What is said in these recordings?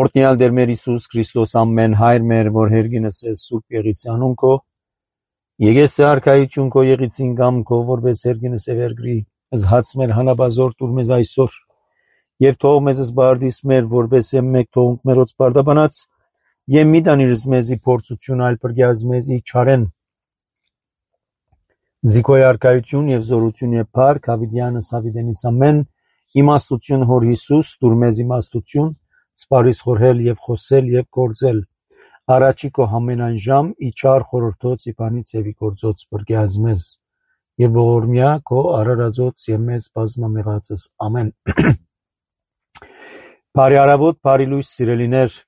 Օրհնյալ Տեր մեր Հիսուս Քրիստոս ամեն հայր մեր, որ հերգինս ես Սուրբ Եղիցի անուն քո, եկես արքայություն քո եղիցին կամ քո, որպես հերգինս է վերգրի, հաց մեր հանաբազոր տուր մեզ այսօր, եւ թող մեզ զբարդիս մեր, որպես մեկ թողունք մերոց բարդաբանած, եւ մի դանիրս մեզի փորձություն այլ բրգյազ մեզի չարեն, զիքոյ արքայություն եւ զորություն եւ փառք հավիտյանս հավիտենից ամեն, իմաստություն հոր Հիսուս, տուր մեզ իմաստություն, սպարիս խորհել եւ խոսել եւ գործել, առաջի քո ամենայն ժամ, իչար խորհրդոց իբանից եւ գործոց բրգյազ մեզ, եւ ողորմյա քո արարածոց եւ մեզ բազմամեղածս, ամեն։ Բարի առավոտ, բարի լույս սիրելիներ,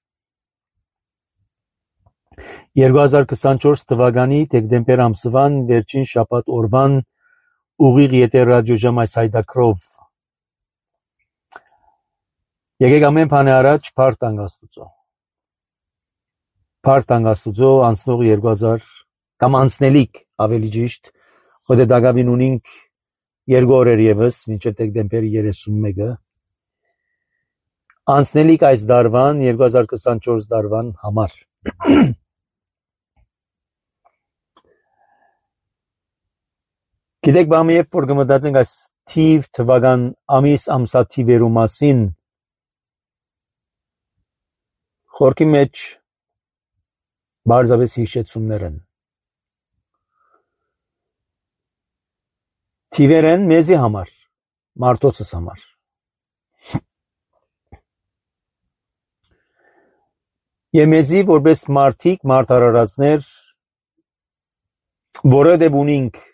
2024 թվականի դեկտեմբեր ամսվան վերջին շաբաթ օրվան ուղիղ եթեր ռադիոժամ այս հայտակրով եկեք ամեն բանի առաջ փառք տանք Աստուծո անցնող 2000 կամ անցնելիք ավելի ճիշտ ոտե դակավին ունենք 2 օրեր եւս մինչև դեկտեմբերի 31-ը անցնելիք այս դարվան 2024 դարվան համար Գիտեք բամի երբ որ գմտածենք այս թիվ թվական ամիս ամսաթիվերու մասին խորքի մեջ բարձավես հիշեցումներ են թիվեր են մեզի համար մարդոցս համար եւ մեզի որպես մարդիկ մարդարարածներ որովհետեւ ունենք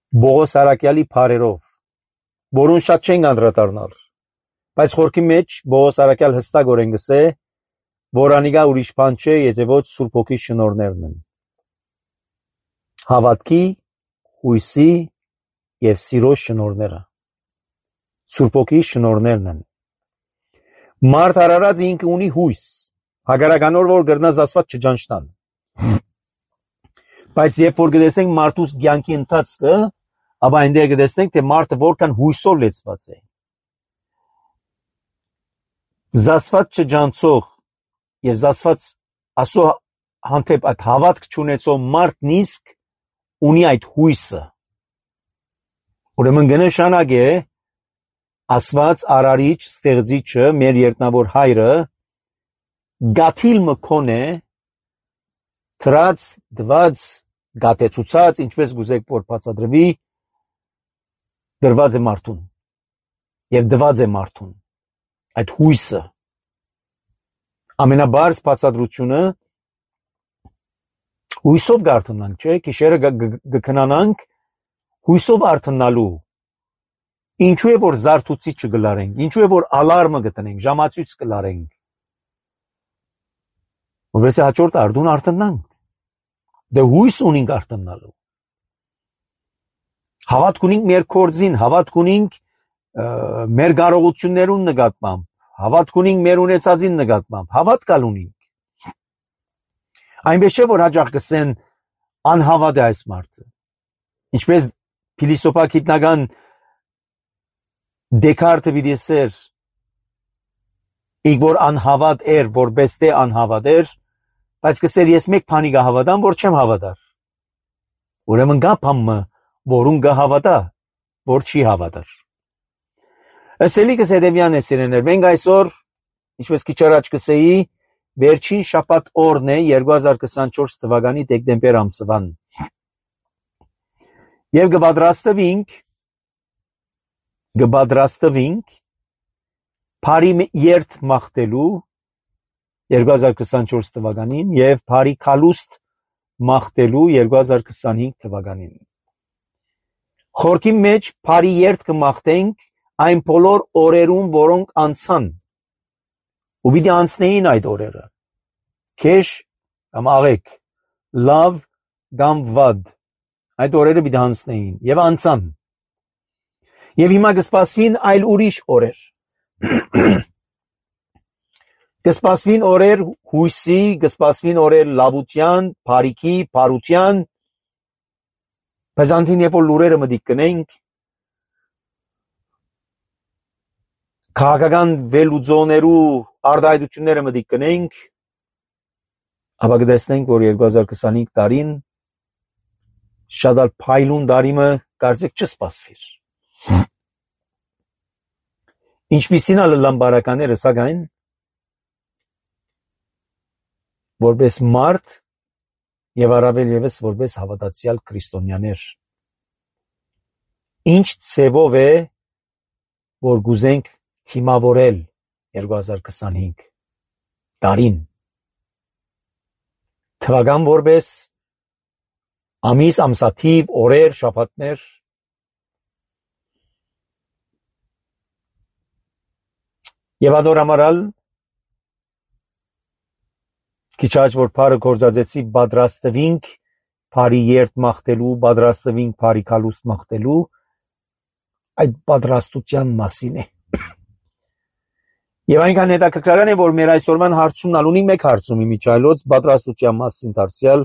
Բողոս Արաքյալի փարերով, որուն շատ չենք անդրադառնալ, բայց խորքի մեջ Բողոս Արաքյալ հստակորեն գսե, որ անիկա ուրիշ բան չէ, եթե ոչ Սուրբ Հոգի շնորհներն են։ Հավատքի, հույսի եւ սիրո շնորհները։ Սուրբ Հոգի շնորհներն են։ Մարդ արարած ինքը ունի հույս, հագարականոր որ գրնազ ասված չճանչնան։ Բայց երբ որ գտեսենք մարդուս կյանքի ընթացքը Աբա այնտեղ կտեսնենք, թե մարդը որքան հույսով լեցված է։ Զասված չջանցող եւ զասված ասո հանդեպ այդ հավատք չունեցող մարդն իսկ ունի այդ հույսը։ Ուրեմն գնշանակ է ասված արարիչ ստեղծիչը մեր երտնավոր հայրը գաթիլ մկոն է թրած դված գատեցուցած ինչպես գուզեք որ բացադրվի դրված է մարդուն եւ դված է մարդուն այդ հույսը ամենաբարձ բացադրությունը հույսով գարթնանք չէ քիշերը գքնանանք հույսով արթնալու ինչու է որ զարթուցիչ չգլարենք ինչու է որ ալարմը գտնենք ժամացույց կլարենք որովհետեւ հաջորդ արդուն արթնանք դե հույս ունենք արթնալու Հավատք ունենք մեր կորձին, հավատք ունենք մեր կարողություններուն նկատմամբ, հավատք ունենք մեր ունեցածին նկատմամբ, հավատք ունենք։ Այնպես չէ որ հաջող կսեն անհավատ է այս մարդը։ Ինչպես փիլիսոփա-գիտնական Դեկարտը վիդեսեր, ինք որ անհավատ էր, որպես թե անհավատ էր, բայց կսեր ես մեկ բանի կհավատամ, որ չեմ հավատար։ Ուրեմն կա բանը որուն կհավատա, որ չի հավատար։ Ասելիքս հետևյալն է սիրեներ, մենք այսօր, ինչպես քիչ առաջ կսեի, վերջին շաբաթ օրն է 2024 թվականի դեկտեմբեր ամսվան։ Եվ կպատրաստվենք Փարի երթ մաղթելու 2024 թվականին եւ Փարի քալուստ մաղթելու 2025 թվականին։ Խորքի մեջ Փարի երթ կմաղթենք այն բոլոր օրերուն, որոնք անցան։ Ու պիտի անցնեին այդ օրերը։ Քեշ կամ աղեք, լավ կամ վատ։ Այդ օրերը պիտի անցնեին եւ անցան։ Եվ հիմա կսպասվին այլ ուրիշ օրեր։ Կսպասվին օրեր հույսի, կսպասվին օրեր լավության, բարիքի, բարության։ Բայց անտին երբ որ լուրերը մտիկ կնենք, քաղաքական վերլուծողներու արտահայտությունները մտիկ կնենք, ապա կտեսնենք, որ 2025 տարին շատ ալ փայլուն տարիմը կարծեք չսպասվիր։ Ինչպիսին ալ լամբարականները սակայն որպես մարդ եւ առավել եւս որպես հավատացյալ քրիստոնյաներ ինչ ցևով է որ գուզենք թիմավորել 2025 տարին թվական որպես ամիս ամսաթիվ օրեր շաբաթներ եւ adoramaral Քիչաջ որ բարը կորզածեցի պատրաստվինք բարի երթ մաղթելու, պատրաստվինք բարի կալուստ մաղթելու, այդ պատրաստության մասին է։ Եվ այնքան հետաքրքրական է, որ մեր այսօրվան հարցումն ունի մեկ հարցումի միջայլոց պատրաստության մասին դարձյալ,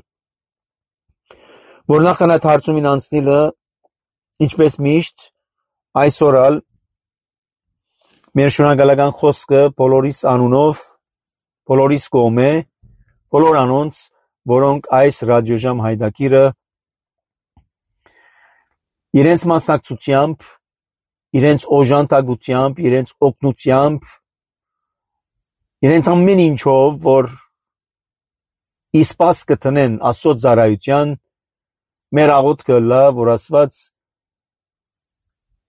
որ նախքան այդ հարցումին անցնելը, ինչպես միշտ, այսօրալ մեր շնորհակալական խոսքը բոլորիս անունով, բոլորիս կողմէ բոլոր անոնց, որոնք այս ռադիոժամ հայդակիրը իրենց մասնակցությամբ, իրենց օժանդակությամբ, իրենց օգնությամբ, իրենց ամեն ինչով, որ իսպաս կտնեն Աստծո ծառայության, մեր աղոթքը լա, որ Աստված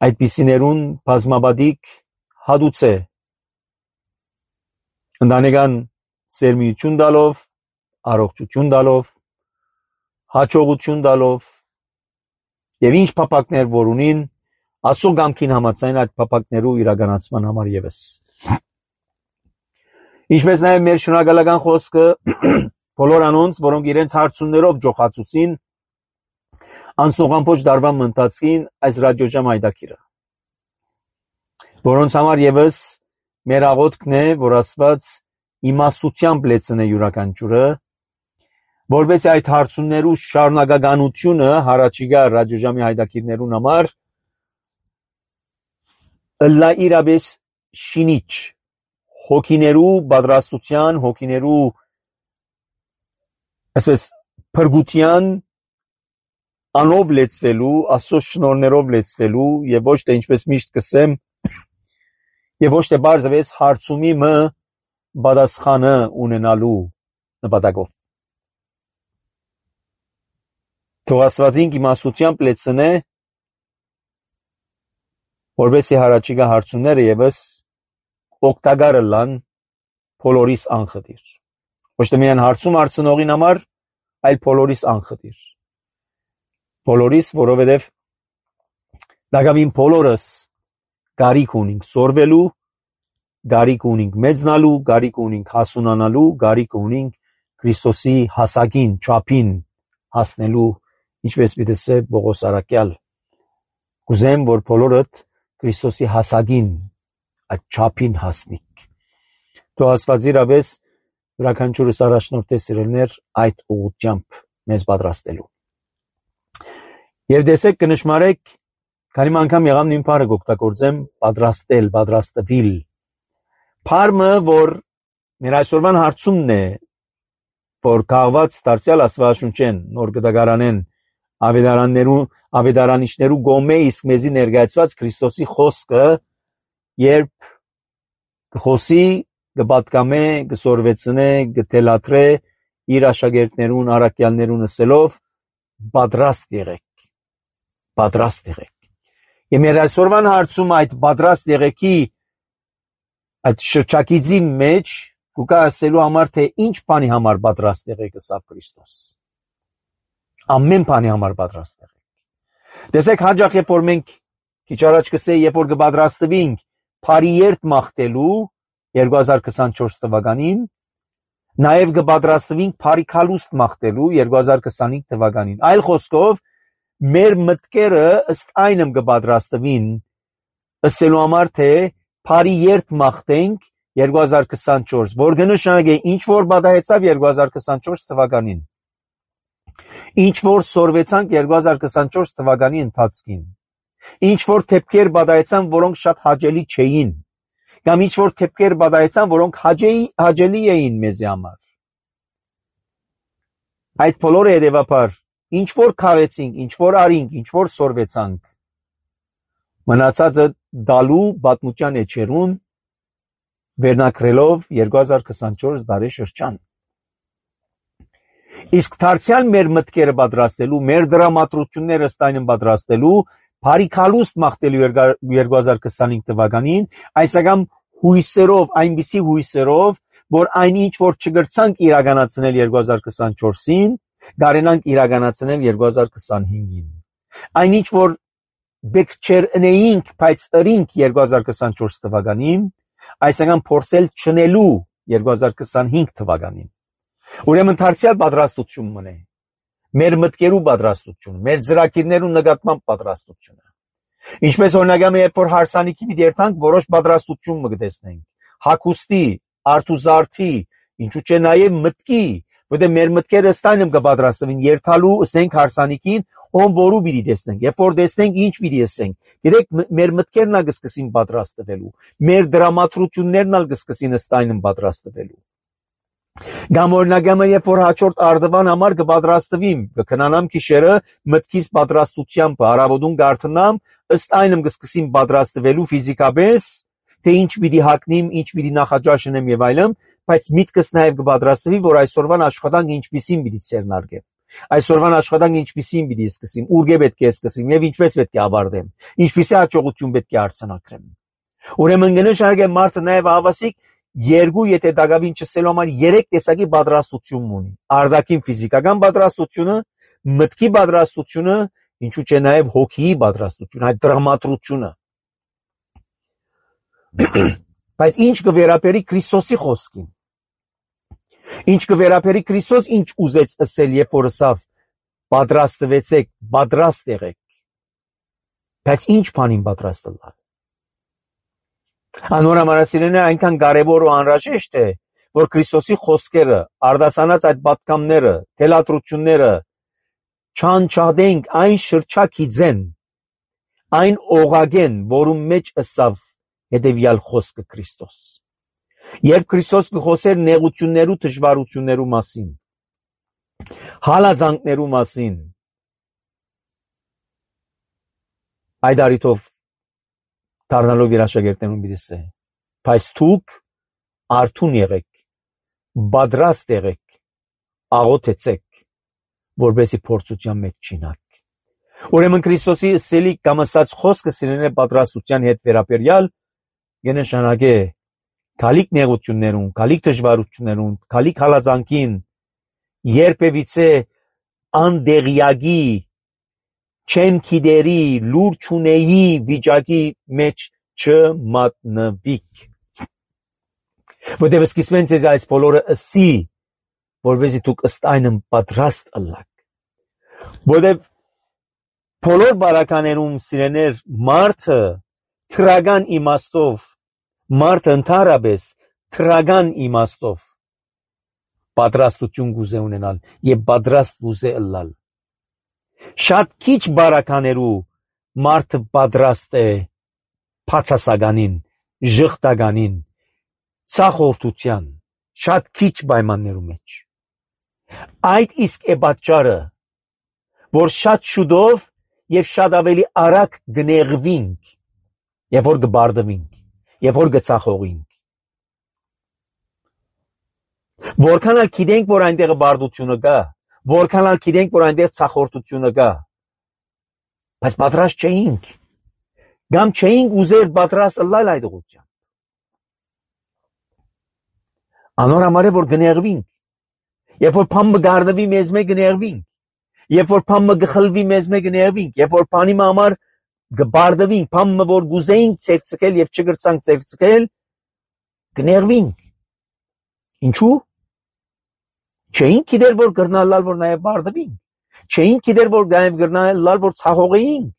այդպիսիներուն բազմաբադիկ հատուցե ընտանեկան սերմիություն տալով, առողջություն տալով, հաջողություն տալով եւ ինչ փապակներ որ ունին Աստծո կամքին համաձայն այդ փապակներու իրականացման համար եւս ինչպես նաեւ մեր շնորհակալական խոսքը բոլոր անոնց որոնք իրենց հարցումներով ջոխացուցին անսողամփոչ դարվան մնացին այս ռադիոժամ հայդակիրը որոնց համար եւս մեր աղոթքն է որ Աստված իմաստությամբ լեցնե յուրաքանչյուրը որովհետեւ այդ հարցումներու շարունակականությունը հարաճիգա ռադիոժամի հայդակիրներուն համար ըլլա իրաբես շինիչ հոգիներու պատրաստության հոգիներու այսպես փրկության անով լեցվելու Աստծո շնորհներով լեցվելու եւ ոչ թե ինչպես միշտ կսեմ եւ ոչ թե բարձրապես հարցումի մը պատասխանը ունենալու նպատակով Թող Աստվածին իմաստությամբ լեցնե որովհետեւ հարաճիգա հարցումները եւս օգտակար լան բոլորիս անխտիր ոչ թե միայն հարցում արցնողին համար այլ բոլորիս անխտիր բոլորիս որովհետեւ դակավին բոլորս գարիք ունենք սորվելու գարիք ունենք մեծնալու գարիք ունենք հասունանալու գարիք ունենք Քրիստոսի հասակին չափին հասնելու ինչպես պիտի ասե Պողոս Արաքյալ կուզեմ որ բոլորդ Քրիստոսի հասակին այդ չափին հասնիք թող Աստված իրապես յուրաքանչյուրս առաջնորդե սիրելներ այդ ուղղությամբ մեզ պատրաստելու եւ դեսեք կնշմարեք քանի անգամ եղամ նույն բառը կօգտագործեմ պատրաստել պատրաստվել Փարմը որ մեր այսօրվան հարցումն է որ կահված դարձյալ Աստվածաշունչեն նոր գտակարանեն ավետարանիչներու գոմե իսկ մեզի ներկայացված Քրիստոսի խոսքը երբ կխոսի կպատկամե կսորվեցնե կթելաթրե իր աշակերտներուն առաքյալներուն ասելով պատրաստ եղեք եւ մեր այսօրվան հարցում այդ պատրաստ եղեքի այդ շրջակիցի մեջ կուկա ասելու համար թե ինչ բանի համար պատրաստ եղեք ըստ Քրիստոս ամեն բանի համար պատրաստ եղեք տեսեք հաջող երբ որ մենք քիչ առաջ կսեի երբ որ կպատրաստվենք բարի երթ մաղթելու 2024 թվականին նաև կպատրաստվենք բարի կալուստ մաղթելու 2025 թվականին այլ խոսքով մեր մտքերը ըստ այնմ կպատրաստվին ասելու համար թե բարի երթ մաղթենք 2024 որ կնշանակե ինչ որ բադայեցավ 2024 թվականին ինչ որ սորվեցանք 2024 թվականի ընթացքին ինչ որ թեփքեր բադայեցան որոնք շատ հաճելի չէին կամ ինչ որ թեփքեր բադայեցան, որոնք հաճելի էին մեզի համար։ Այդ բոլորը հետևաբար ինչ որ քաղեցինք, ինչ որ արինք, ինչ որ սորվեցանք, մնացածը դալու պատմության էջերուն վերնակրելով 2024 տարի շրջան։ Իսկ դարձյալ մեր մտքերը պատրաստելու, մեր դրամատրությունները ստայնն պատրաստելու, բարիքալուստ մաղթելու 2025 թվականին, այսական հույսերով, այնպիսի հույսերով, որ այնինչ որ չգրցանք իրականացնել 2024-ին, կարենանք իրականացնել 2025-ին։ Այնինչ որ բեք չեր ընեինք, բայց ըրինք 2024 թվականին, այսական փորձել չնելու 2025 թվականին։ Ուրեմն դարձյալ պատրաստություն մնե։ Մեր մտքերու պատրաստությունը, մեր ծրագիրներու նկատմամբ պատրաստությունը։ Ինչպես օրինակամ երբ որ հարսանիքի մի դերտանք որոշ պատրաստություն մգտեսնենք, հագուստի, արթուզարդի, ինչու՞ չէ նաև մտքի, որտեղ մեր մտքերը ստայնմ կպատրաստվին երթալու ասենք հարսանիքին, ում որու պիտի տեսնենք, երբ որ տեսնենք ինչ պիտի ասենք։ Գիտեք, մեր մտքերն ալ կսկսին պատրաստվելու, մեր դրամատրություններն ալ կսկսին ստայնմ պատրաստվելու։ Կամ օրինակամ երբ որ հաջորդ արդվան համար կպատրաստվիմ, կքնանամ գիշերը մտքիս պատրաստությամբ, առավոտուն գարթնամ, ըստ այնմ կսկսին պատրաստվելու ֆիզիկապես, թե ինչ պիտի հագնիմ, ինչ պիտի նախաճաշնեմ եւ այլն, բայց միտքս նաեւ կպատրաստվի, որ այսօրվան աշխատանք ինչպիսին պիտի ցերնարգեմ։ Այսօրվան աշխատանք ինչպիսին պիտի սկսեմ, ուր պետք է սկսեմ եւ ինչպես պետք է ավարտեմ, ինչպիսի հաջողություն պետք է արձանագրեմ։ Ուրեմն գնշարգեմ մարդը նաեւ ավասիկ երկու եթե դակավին չսելու համար 3 տեսակի պատրաստություն ունի։ Արտաքին ֆիզիկական պատրաստությունը, մտքի պատրաստությունը, ինչու՞ չէ նաև հոգիի պատրաստությունը, այդ դրամատրությունը։ Բայց ինչ կվերապերի Քրիստոսի խոսքին։ Ինչ կվերապերի Քրիստոս ինչ ուզեց ասել, երբ որ ասավ պատրաստվեցեք, պատրաստ եղեք։ Բայց ինչ բանին պատրաստ ըլլալ։ Անորամարասիրենը այնքան կարևոր ու անհրաժեշտ է, որ Քրիստոսի խոսքերը, արտասանած այդ պատկամները, թելադրությունները չանչադենք այն շրջակիցեն, այն օղագեն, որում մեջ ըսավ հետևյալ խոսքը Քրիստոս։ Երբ Քրիստոս կխոսեր նեղություններու, դժվարություններու մասին, հալածանքներու մասին, այդ առիթով դառնալով իր աշակերտներուն բիդեսե, բայց դուք արթուն եղեք, պատրաստ եղեք, աղոթեցեք, որբեսի փորձության մեջ չինաք։ Ուրեմն Քրիստոսի սելի կամ ասած խոսքը սիրելիներ պատրաստության հետ վերաբերյալ կնշանակե գալիք նեղություններուն, գալիք դժվարություններուն, գալիք հալածանքին, երբևիցե անդեղյակի, չեմ գիտերի, լուր չունեի վիճակի մեջ չմատնվիք։ Որտեղ սկիզբեն ձեզ այս բոլորը ասի, որպեսզի դուք ըստ այնմ պատրաստ ըլլաք։ Որտեղ բոլոր բարականերում սիրելիներ մարդը թրական իմաստով, մարդը ընդհանրապես թրական իմաստով պատրաստություն գուզե ունենալ եւ պատրաստ գուզե ըլլալ։ Շատ քիչ բարականերու մարդը պատրաստ է փացասականին, ժխտականին, ցախորտության, շատ քիչ պայմաններու մեջ։ Այդ իսկ է պատճառը, որ շատ շուտով եւ շատ ավելի արագ կնեղվինք, եւ որ կբարդվինք, եւ որ կցախողինք։ Որքան էլ գիտենք, որ այնտեղ բարդությունը կա, որքան էլ գիտենք, որ այնտեղ ցախորտությունը կա, բայց պատրաստ չէինք, կամ չէինք ուզեր պատրաստ ըլլալ այդ ուղղությամբ։ Անոր համար է որ կնեղվինք, երբ որ բանը գարնվի մեզ մեկ կնեղվինք, երբ որ բանը գխլվի մեզ մեկ կնեղվինք, երբ որ բանի համար կբարդվինք, բանը որ գուզեինք ցերծկել եւ չգրցանք ցերծկել, կնեղվինք։ Ինչու՞։ Չէինք գիտեր որ գրնալալ որ նաեւ բարդվինք, չէինք գիտեր որ նաեւ գրնալալ որ ցախողեինք։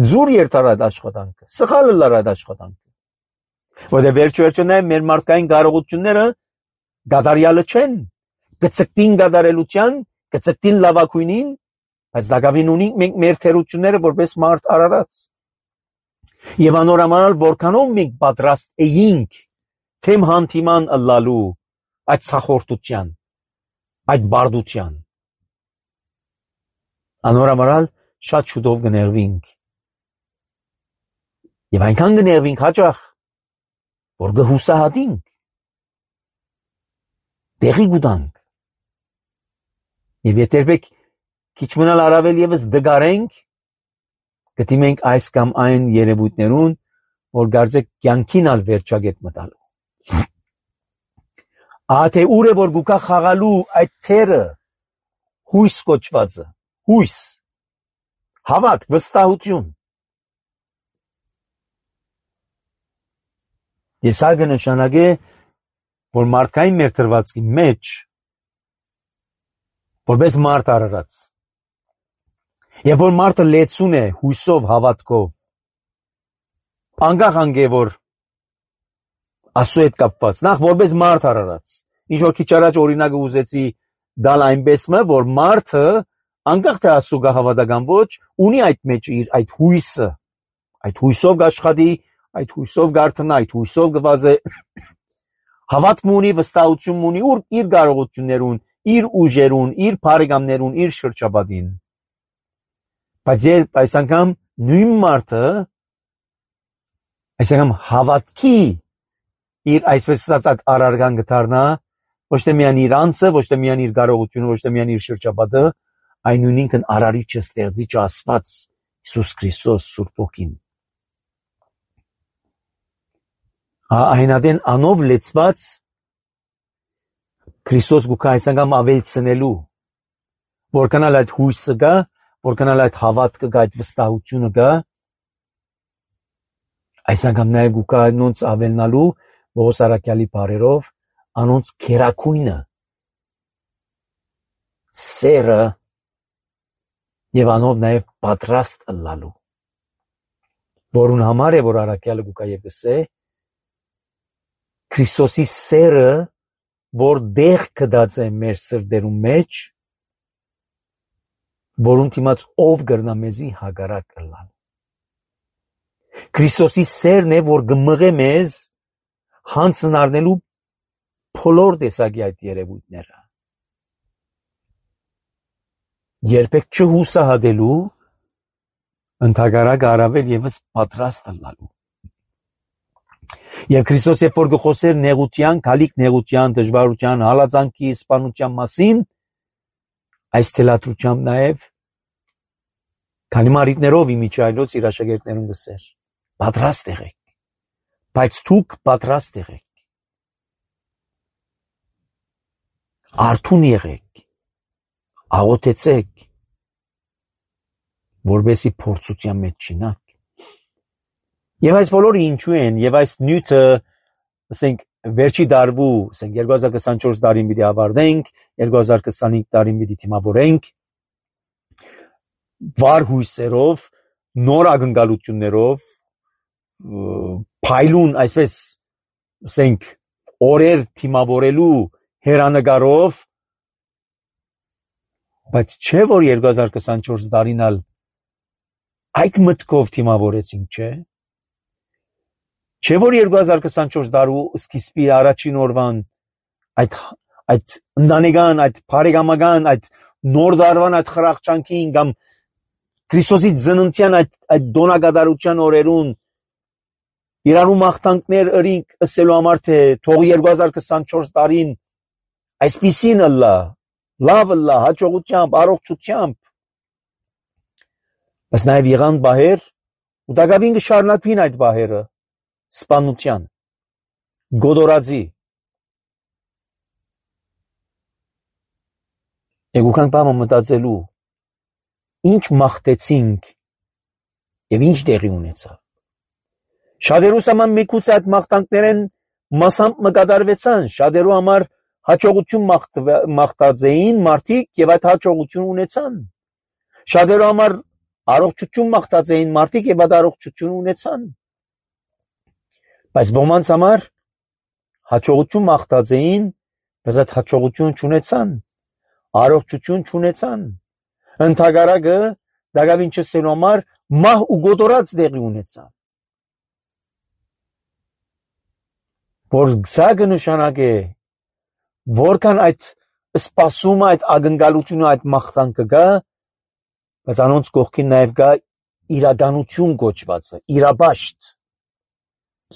Ձուր երթար այդ աշխատանքը, սխալ լար այդ աշխատանքը։ Որտեղ վերջը նաեւ մեր մարդկային կարողությունները գադարյալը չեն, կցկտին գադարելության, կցկտին լավակույնին, բայց դակավին ունենք մենք մեր թերությունները որպես մարդ արարած։ Եվ անորոմանալ որքանով մենք պատրաստ էինք թեմ հանդիման ըլլալու այդ ցախորտության, այդ բարդության։ Անորոմանալ շատ շուտով կներվինք։ Եվ այնքան կներվինք հաճախ, որ կհուսահատինք, տեղի կուտանք։ Եվ եթե քիչ մնալ առավել եւս դգարենք, կդիմենք այս կամ այն երևույթներուն, որ գարձեք կյանքին ալ վերջագետ մտալու։ Ահա ուր է որ գուկա խաղալու այդ թերը հույս կոչվածը, հույս, հավատք, վստահություն։ Եվ սա կնշանակե, որ մարդկային մեր թրվածքի մեջ, որպես մարդ արարած, եւ որ մարդը լեցուն է հույսով, հավատքով, անկախ անգե որ Աստծո հետ կապված, նախ որպես մարդ արարած, ինչ որ քիչ առաջ օրինակը ուզեցի դալ այնպես մը, որ մարդը անկախ թե Աստծո գահավատական ոչ, ունի այդ մեջ իր այդ հույսը, այդ հույսով կաշխատի, այդ հույսով գարթնա, այդ հույսով գվազե, հավատք ունի, վստահություն ունի իր կարողություններուն, իր ուժերուն, իր բարեկամներուն, իր շրջապատին։ Բայց երբ այս անգամ նույն մարդը, այս անգամ հավատքի իր այսպես ասած արարգան կդառնա, ոչ թե միայն իր անձը, ոչ թե միայն իր կարողությունը, ոչ թե միայն իր շրջապատը, այն նույնինքն արարիչը, ստեղծիչը Աստված Հիսուս Քրիստոս Սուրբ Ոգին։ Այնադեն անով լեցված Քրիստոս գուկա այս անգամ ավելցնելու, որքանալ այդ հույսը գա, որքանալ այդ հավատքը գա, այդ վստահությունը գա, այս անգամ նաև գուկա անոնց ավելնալու Պողոս առաքյալի բառերով անոնց քերակույնը, սերը եւ անով նաև պատրաստ ըլլալու, որուն համար է որ առաքյալը գուկա եւ գսե Քրիստոսի սերը, որ դեղ կդած է մեր սրտերում մեջ, որուն դիմաց ով կրնա մեզի հագարակ ըլլալ։ Քրիստոսի սերն է, որ կմղե մեզ հանցն առնելու բոլոր տեսակի այդ երևույթները։ Երբեք չհուսահատելու, ընդհակառակը առավել եւս պատրաստ ըլլալու։ Եվ Քրիստոս երբ որ գխոսեր նեղության, գալիք նեղության, դժվարության, հալածանքի, սպանության մասին, այս թելադրությամբ նաև քանի մարիտներով իմիջայլոց իր աշակերտներուն գսեր, պատրաստ եղեք, բայց դուք պատրաստ եղեք, արթուն եղեք, աղոթեցեք, որբեսի փորձության մեջ չինաք։ Եվ այս բոլորը ինչու են, եւ այս նյութը, ասենք, վերջի դարվու, ասենք 2024 տարին պիտի ավարտենք, 2025 տարին պիտի թիմավորենք, վառ հույսերով, նոր ակնկալություններով, փայլուն, այսպես, ասենք, օրեր թիմավորելու հերանեկարով, բայց չէ որ 2024 տարին ալ այդ մտքով թիմավորեցինք, չէ։ Չէ որ 2024 տարու սկիզբի առաջին օրվան այդ ընտանեկան, այդ բարեկամական, այդ նոր դարվան այդ խրախճանքին կամ Քրիստոսի ծննդյան այդ դոնակատարության օրերուն իրարու մաղթանքներ ըրինք ըսելու համար թե թող 2024 տարին այսպիսին ըլլա, լավ ըլլա, հաջողությամբ, առողջությամբ, բայց նաև եղան բահեր ու դակավին կշարունակվին այդ բահերը սպանության, գոդորածի։ Եգուքան պամը մտածելու, ինչ մաղթեցինք և ինչ տեղի ունեցավ։ Շատերուս համար մեկուց այդ մաղթանքներեն մասամբ մկատարվեցան, շատերու համար հաջողություն մաղթած էին մարդիկ և այդ հաջողություն ունեցան։ Շատերու համար առողջություն մաղթած էին մարդիկ և այդ առողջություն ունեցան։ Բայց ոմանց համար հաջողություն մաղթած էին, բայց այդ հաջողություն չունեցան, առողջություն չունեցան, ընդհակառակը դակավին չսելու համար մահ ու գոդորած տեղի ունեցավ։ որ սա կնշանակե որքան այդ սպասումը, այդ ակնկալությունը, այդ մաղթանքը կա, բայց անոնց կողքին նաև կա իրականություն կոչվածը, իրաբաշտ,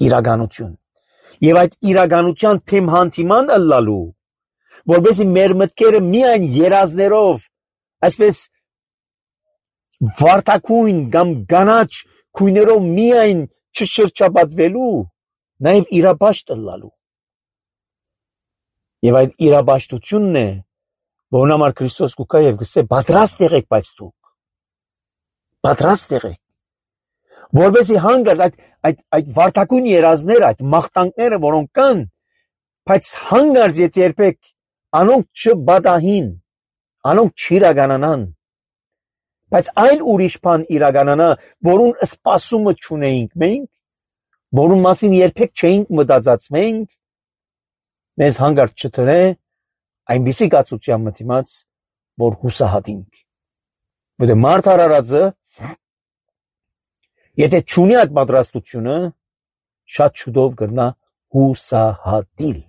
իրականություն։ Եվ այդ իրականության թեմ հանդիման ըլլալու, որպեսզի մեր մտքերը միայն երազներով, այսպես վարդակույն կամ կանաչ քույներով միայն չշրջապատվելու, նաև իրաբաշտ ըլլալու։ Եվ այդ իրաբաշտությունն է, որն համար Քրիստոս կուքա եւ գսե պատրաստ եղեք, բայց դուք պատրաստ եղեք, որովհետեւ հանգարց այդ վարդակույն երազները, այդ մաղթանքները, որոնք կան, բայց հանգարց երբեք անոնք չբադահին, անոնք չիրականանան, բայց այլ ուրիշ բան իրականանա, որուն սպասումը չունեինք մենք, որուն մասին երբեք չէինք մտածած մենք, մեզ հանգարց չտրե այնպիսի կացության մտիմաց, որ հուսահատինք։ Որտե մարդ արարածը, եթե չունի այդ պատրաստությունը, շատ շուտով կգնա հուսահատիլ։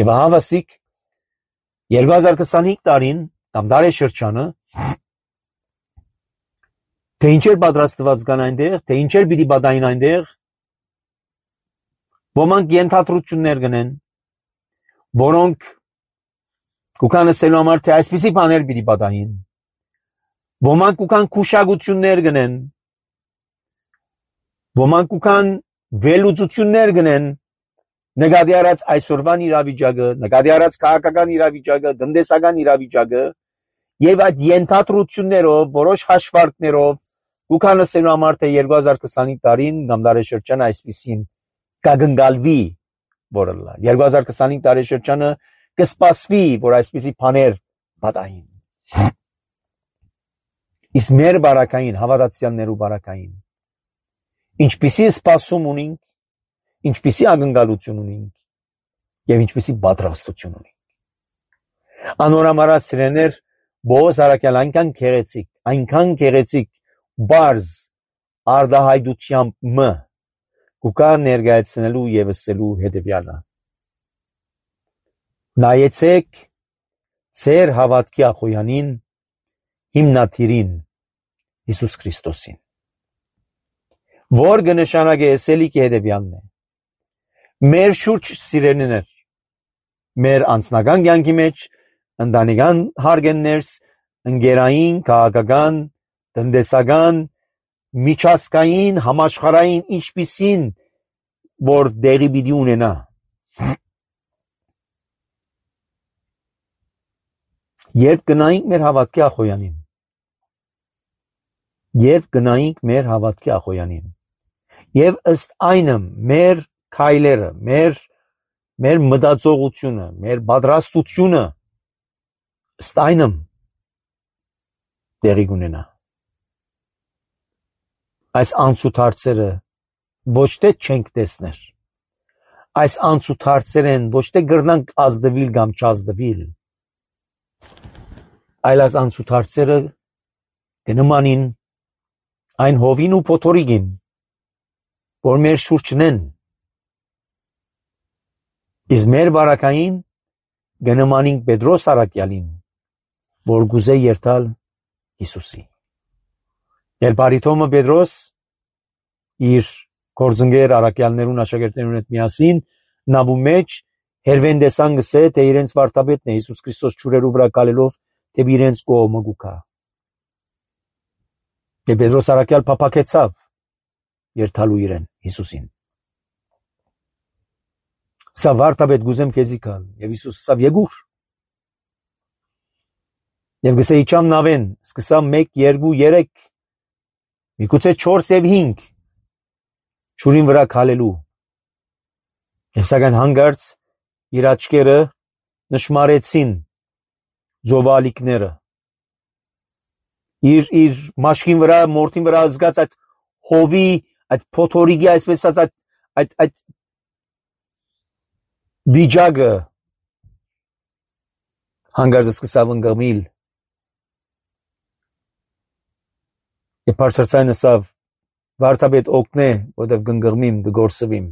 Եվ հավասիկ 2025 տարին կամ դարաշրջանը թե ինչեր պատրաստված կան այնտեղ, թե ինչեր պիտի պատահին այնտեղ, ոմանք ենթադրություններ կնեն, որոնք կուքան ասելու համար թե այսպիսի բաներ պիտի պատահին, ոմանք կուքան քուշագություններ կնեն, ոմանք կուքան վերլուծություններ կնեն, նկատի առած այսօրվան իրավիճակը, նկատի առած քաղաքական իրավիճակը, տնտեսական իրավիճակը, եւ այդ ենթադրություններով, որոշ հաշվարկներով, կուքան ասելու համար թե 2025 տարին կամ դարաշրջանը այսպիսին կգնգալվի, որ 2025 տարեշրջանը կսպասվի, որ այսպիսի բաներ պատահին։ Իսկ մեր բարակային, հավատացյալներու բարակային, ինչպիսի սպասում ունենք, ինչպիսի ակնկալություն ունենք եւ ինչպիսի պատրաստություն ունենք։ Անորամարա սիրեներ Բոզ Արաքյալ այնքան գեղեցիկ բարձ արդահայտությամբ կուկա ներկայացնելու եւ ասելու հետեւյալը. նայեցեք ձեր հավատքի ախոյանին, հիմնադիրին Հիսուս Քրիստոսին, որ կնշանակե ասելիքի հետեւյալն է. մեր շուրջ սիրելիներ, մեր անձնական կյանքի մեջ, ընտանեկան հարգանքներս, ընկերային, քաղաքական, տնտեսական, միջազգային, համաշխարհային, ինչպիսին որ դերի պիտի ունենա։ Երբ գնայինք մեր հավատքի ախոյանին, եւ ըստ այնը մեր քայլերը, մեր մտածողությունը, մեր պատրաստությունը ըստ այնը դերի կունենա։ Այս անցուդարձերը ոչ թե չենք տեսներ, այս անցուդարձերեն ոչ թե գրնանք ազդվիլ կամ չազդվիլ, այլ այս անցուդարձերը կնմանին այն հովին ու փոթորիկին, որ մեր շուրջն են, իսկ մեր բարակային կնմանին Պետրոս Արաքյալին, որ գուզե երթալ Հիսուսի։ Երբ Արիթոմը Պետրոս իր գործընկեր Արաքյալներուն աշակերտներուն հետ միասին նավու մեջ հերվեն տեսան գսե, թե իրենց վարդապետն է Հիսուս Քրիստոս ջուրերու վրա կալելով դեպի իրենց կողմը գուքա։ Եվ Պետրոս Արաքյալ փափաքեցավ երթալու իրեն Հիսուսին։ Սա վարդապետ գուզեմ քեզի կալ, եւ Հիսուս ասավ եկուր։ Եվ գսե իջամ նավեն, սկսամ 1, 2, 3, միգուցե 4 եւ 5 ջուրին վրա քալելու։ Եվ սակայն հանգարց իր աչքերը նշմարեցին ձովալիկները։ Իր մաշկին վրա, մորթին վրա զգաց այդ հովի, այդ փոթորիկի, այսպես ասած, այդ վիճակը հանգարց սկսավ ընկղմիլ։ Եվ բարձրացան ասավ, վարդապետ օգնե, որտև կընկղմիմ, կգործվիմ։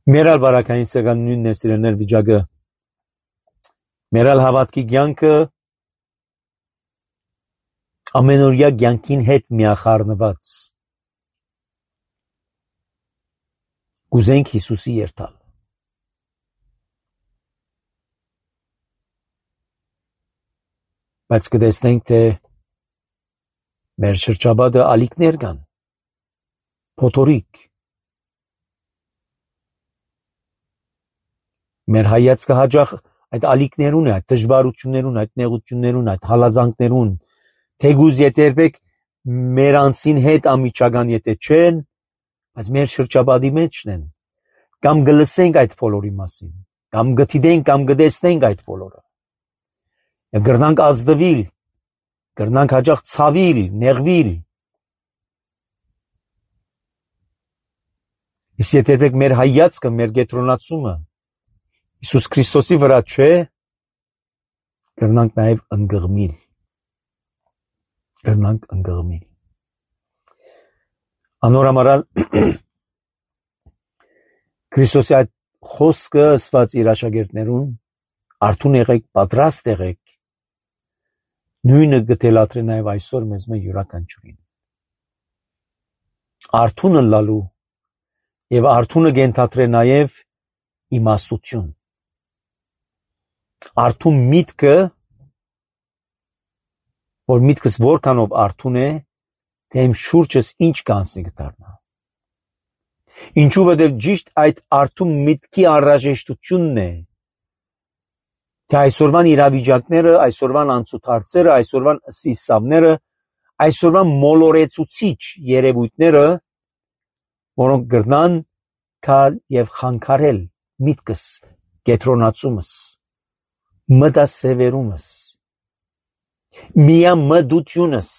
Մերալ բարակային սեղան նույնն է սիրելներ վիճակը։ Մերալ հավատքի կյանքը ամենօրյա կյանքին հետ միախառնված։ Կուզենք Հիսուսի երթալ։ Բայց կտեսնենք, թե մեր շրջապատը ալիքներ կան, փոթորիկ։ Մեր հայացքը հաճախ այդ ալիքներուն է, այդ դժվարություններուն, այդ նեղություններուն, այդ հալածանքներուն, թեգուզ երբեք մեր անձին հետ ամիջական եթե չեն, բայց մեր շրջապատի մեջն են, կամ գլսենք այդ բոլորի մասին, կամ գտիդենք, կամ գտեսնենք այդ բոլորը։ Եվ գրնանք ազդվիլ, գրնանք հաճախ ցավիլ, նեղվիլ։ Իսկ եթե մեր հայացքը, մեր կենտրոնացումը Հիսուս Քրիստոսի վրա չէ, գրնանք նաև ընկղմիլ։ Գրնանք ընկղմիլ։ Անորամարալ Քրիստոսի այդ խոսքը ասված իր աշակերտներուն, արթուն եղեք, պատրաստ եղեք, նույնը գտելատրե նաև այսօր մեզ յուրաքանչյուրին։ Արթունը լալու եւ արթունը գենթատրե նաև իմաստություն։ Արթուն միտքը, որ միտքս որքանով արթուն է, թե իմ շուրջս ինչ կանցնի կդառնա։ Ինչու որտեղ ճիշտ այդ արթուն միտքի անհրաժեշտությունն է, թե այսօրվան իրավիճակները, այսօրվան անցուդարձերը, այսօրվան սիսավները, այսօրվան մոլորեցուցիչ երևույթները, որոնք գրնան կալ եւ խանգարել միտքս, կենտրոնացումս, մտասևերումս, միամտությունս։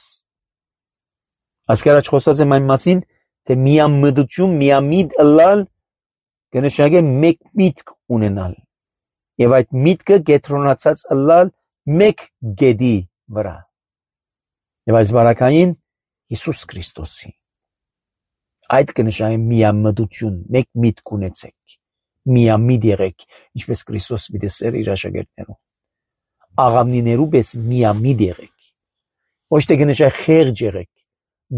Ասկարաչ խոսած եմ այն մասին, թե միամտություն, միամիտ ըլլալ կնշանակե մեկ միտք ունենալ եւ այդ միտքը կենտրոնացած ըլլալ մեկ գեդի վրա եւ այս բարակային Հիսուս Քրիստոսի այդ կնշանակե միամտություն, մեկ միտք ունեցեք, միամիտ եղեք, ինչպես Քրիստոս դեսեր իր աշակերտներուն, աղավնիներու պես միամիտ եղեք, ոչ թե կնշանակե խեղճ եղեք,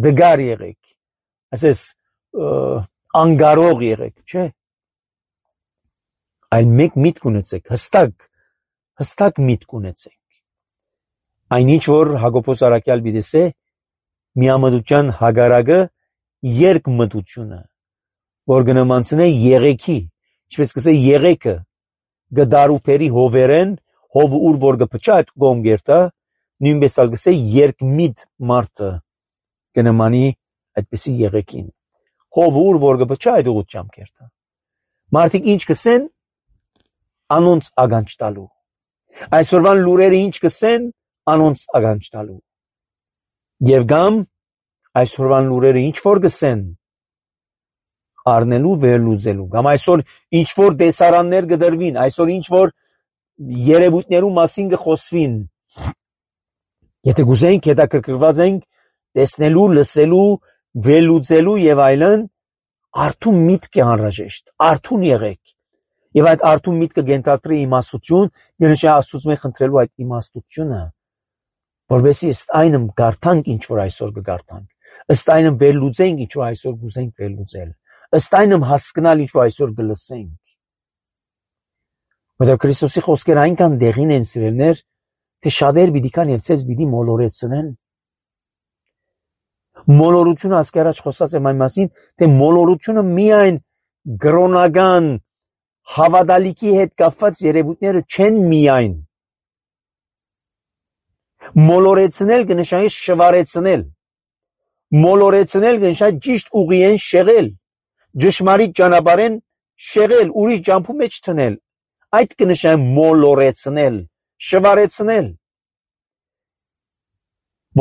դգար եղեք, ասես անգարող եղեք, չէ, այլ մեկ միտք ունեցեք, հստակ միտք ունեցեք։ Այնինչ որ Հակոբոս Արաքյալ դեսե միամտության հագարակը երկմտությունը, որ կնմանցնե եղեքի, ինչպես կսե եղեկը գդարուփերի հովերեն, հով ուր որ կփչա այդ գոմգերտա, նույնպես ալ կսե երկմիտ մարդը կնմանի այդպիսի եղեկին, հով ուր որ կփչա այդ ուղղությամբ կերտա։ Մարդիկ ինչ կսեն, անոնց ականջ տալու։ Այսօրվան լուրերը ինչ կսեն, անոնց ականջ տալու։ Եվ գամ այսօրվան լուրերը ինչ որ կսեն, առնելու վերլուծելու։ Կամ այսօր ինչ որ դեսարաններ կդրվին, այսօր ինչ որ երևույթներու մասին կխոսվին։ Եթե գուզենք, հետաքրքրված ենք տեսնելու, լսելու, վերլուծելու եւ այլն, արթուն միտք է անհրաժեշտ, արթուն եղեք։ Եվ այդ արթուն միտքը գենթատրի իմաստություն, գնշա Աստծո մեզ խնդրելու այդ իմաստությունը, որովհետեւ ըստ այնմ գարթանք ինչ որ այսօր կգարթանք, ըստ այնմ վերլուծենք ինչ որ այսօր գուզենք վերլուծել, ըստ այնմ հասկանալ ինչ որ այսօր կլսենք։ Որովհետեւ Քրիստոսի խոսքերը այնքան դեղին են սիրելներ, թե շատեր պիտի կան եւ ցեզ պիտի մոլորեցնեն։ Մոլորությունը ասկարաչ խոսած եմ այն մասին, թե մոլորությունը միայն գրոնական հավատալիքի հետ կապված երևույթները չեն միայն։ Մոլորեցնել կնշանակի շվարեցնել։ Մոլորեցնել կնշանակի ճիշտ ուղիեն շեղել, ճշմարիտ ճանապարհեն շեղել, ուրիշ ջամփու մեջ թնել։ Այդ կնշանակի մոլորեցնել, շվարեցնել։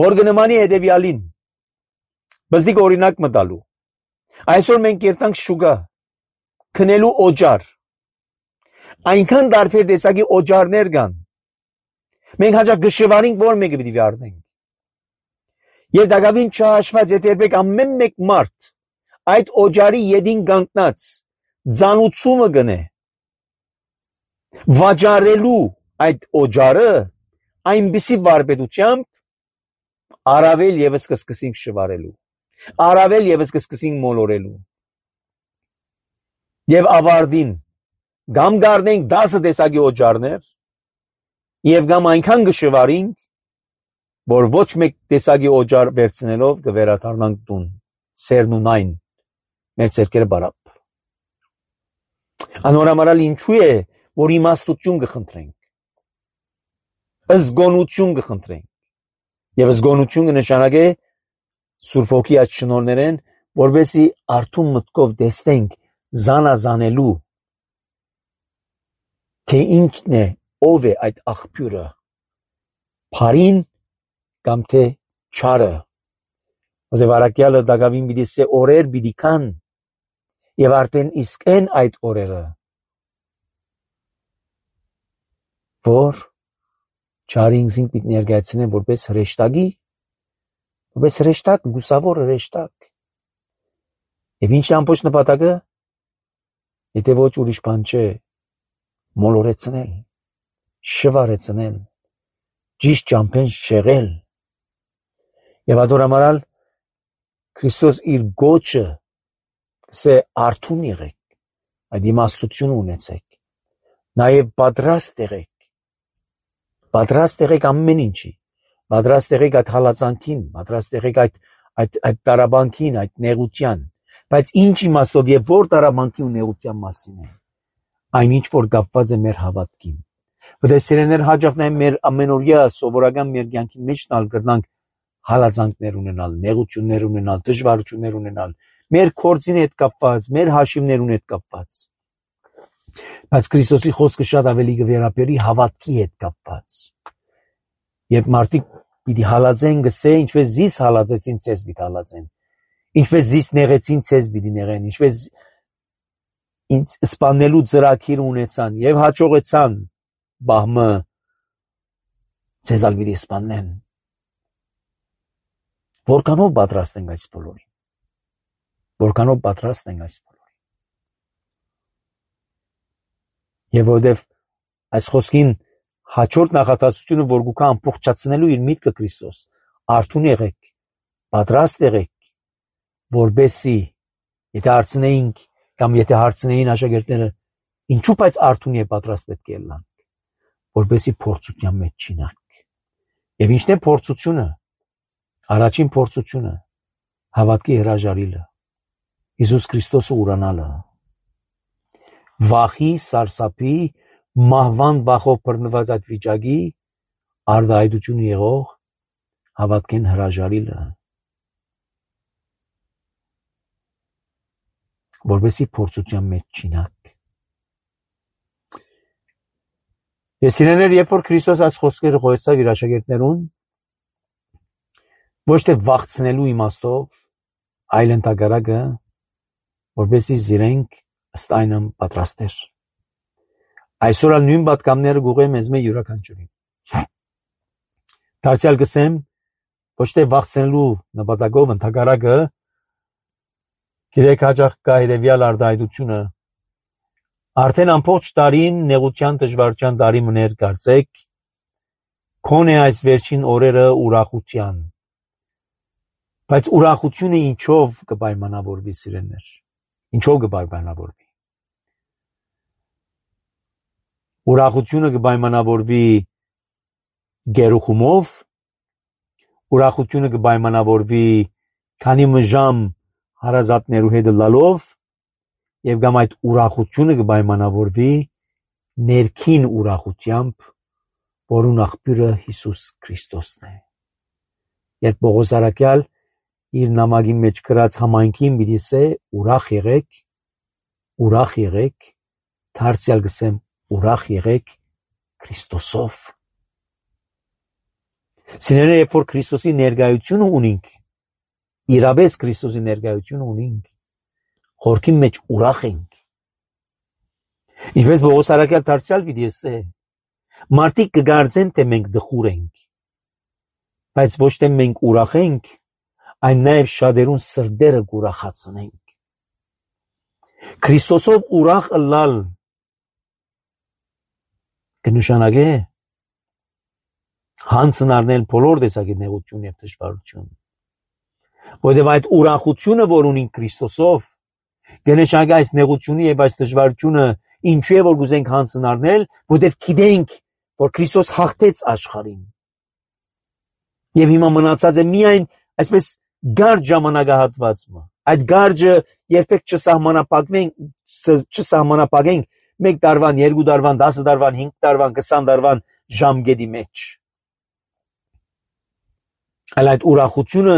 Որ կնմանի հետևյալին։ Բզդիկ օրինակ մտալու։ Այսօր մենք երթանք շուգա, քնելու օջար։ Այնքան տարբեր տեսակի օջարներ կան։ Մենք հաճախ գշվարինք, որ մեկը պիտի վարդենք։ Եվ դակավին չհաշված եթե երբեք ամեն մեկ մարդ այդ օջարի ետին կանգնած ձանուցումը գնե վաճառելու այդ օջարը այնպիսի վարպետությամբ առավել եւս կսկսենք շվարելու, առավել եւս կսկսենք մոլորելու եւ ավարտին գամ գարնենք 10 տեսակի օջարներ եւ գամ այնքան կշվարենք, որ ոչ մեկ տեսակի օջար վերցնելով կվերադառնանք տուն, սերնունայն մեր ցերկերը բարապ։ Անորամարալ ինչու է, որ իմաստություն կխնդրենք, զգոնություն կխնդրենք եւ զգոնությունը նշանակե Սուրբ Հոգի այդ շնորհներեն, որովհետեւ արթուն մտքով տեսնենք զանազանելու թե ինչն է, ով է այդ աղբյուրը, փարին կամ թե չարը, որովհետեւ արաքյալը դակավին պիտի սե օրեր պիտի կան եւ արդեն իսկ են այդ օրերը, որ չարին զինք պիտի ներկայացնեն որպես հրեշտակի, որպես հրեշտակ, գուսավոր հրեշտակ։ Եվ ինչ ամբողջ նպատակը, եթե ոչ ուրիշ բան չէ, մոլորեցնել, շվարեցնել, ճիշտ ճամփեն շեղել։ Եվ adoramaral Քրիստոս իր գոչը կսե արթուն եղեք, այդ իմաստություն ունեցեք, նաև պատրաստ եղեք ամեն ինչի, պատրաստ եղեք այդ հալածանքին, պատրաստ եղեք այդ տարաբանքին, այդ նեղության, բայց ինչ իմաստով եւ որ տարաբանքի ու նեղության մասին է, այնինչ որ կապված է մեր հավատքին։ Որտեղ սիրեներ հաջող նաև մեր ամենօրյա սովորական մեր կյանքի մեջ նալ կրնանք հալածանքներ ունենալ, նեղություններ ունենալ, դժվարություններ ունենալ, մեր կորձին հետ կապված, մեր հաշիվներուն հետ կապված։ Բայց Քրիստոսի խոսքը շատ ավելի կվերապերի հավատքի հետ կապված։ Երբ մարդիկ պիտի հալածեն, գսե, ինչպես զիս հալածեցին, ցես պիտի հալածեն, ինչպես զիս նեղեցին, ցես պիտի նեղեն, ինչպես ինձ սպանելու ծրագիր ունեցան եւ հաջողեցան, բահմը ցեզալ պիտի սպանեն։ Որքանով պատրաստ ենք այս բոլորին։ Որքանով պատրաստ ենք այս բոլորին։ Եվ որովհետև այս խոսքին հաջորդ նախատասությունը, որ գուքա ամբողջացնելու իր միտքը Քրիստոս, արթուն եղեք, պատրաստ եղեք, որբեսի եթե հարցնեինք կամ եթե հարցնեին աշակերտները, ինչու բայց արթուն եւ պատրաստ պետք է լինենք, որբեսի փորձության մեջ չինանք։ Եվ ինչն է փորձությունը։ Առաջին փորձությունը հավատքի հրաժարիլը, Հիսուս Քրիստոսը ուրանալը, վախի, սարսափի, մահվան վախով բռնված այդ վիճակի արդայդություն եղող հավատքեն հրաժարիլը, որովհետեւ փորձության մեջ չինանք։ Ես իրեներ, երբ որ Քրիստոս այս խոսքերը գոյացավ իր աշակերտներուն, ոչ թե վախցնելու իմաստով, այլ ընդհակառակը, որպեսզի զիրենք ըստ այնմ պատրաստեր։ Այսօր ալ նույն պատկամները գուղեմ մեզ մեր յուրաքանչյուրին։ Դարձյալ գսեմ, ոչ թե վախցնելու նպատակով ընդհակառակը, գիտեք հաճախ կա երևյալ արդայդությունը, արդեն ամբողջ տարին նեղության դժվարության տարի մներ կարծեք, քոնե այս վերջին օրերը ուրախության, բայց ուրախությունը ինչով կպայմանավորվի սիրելներ, ինչով կպայմանավորվի։ Ուրախությունը կպայմանավորվի գերուխումով, ուրախությունը կպայմանավորվի քանի մժամ հարազատներու հետ լալով եւ կամ այդ ուրախությունը կպայմանավորվի ներքին ուրախությամբ, որուն աղբյուրը Հիսուս Քրիստոսն է։ Երբ Պողոս առաքյալ իր նամակի մեջ գրած համայնքին պիտի ասե ուրախ եղեք, դարձյալ գսեմ ուրախ եղեք Քրիստոսով։ Սիրելիներ, երբ որ Քրիստոսի ներկայությունը ունենք, իրապես Քրիստոսի ներկայությունը ունենք, խորքի մեջ ուրախ ենք։ Ինչպես Պողոս առաքյալ դարձյալ պիտի ասե, մարդիկ կգարձեն, թե մենք դխուր ենք, բայց ոչ թե մենք ուրախ ենք, այն նաև շատերուն սրտերը կուրախացնենք։ Քրիստոսով ուրախ ըլլալ կնշանակե հանցն առնել բոլոր տեսակի նեղություն եւ դժվարություն, որովհետեւ այդ ուրախությունը, որ ունին Քրիստոսով, կնշանակե այս նեղությունը եւ այս դժվարությունը ինչու է որ գուզենք հանցն առնել, որովհետեւ գիտենք, որ Քրիստոս հաղթեց աշխարհին եւ հիմա մնացած է միայն այսպես գարջ ժամանակահատվածը, այդ գարջը երբեք չսահմանապակենք 1 տարվան, 2 տարվան, 10 տարվան, 5 տարվան, 20 տարվան ժամկետի մեջ, այլ այդ ուրախությունը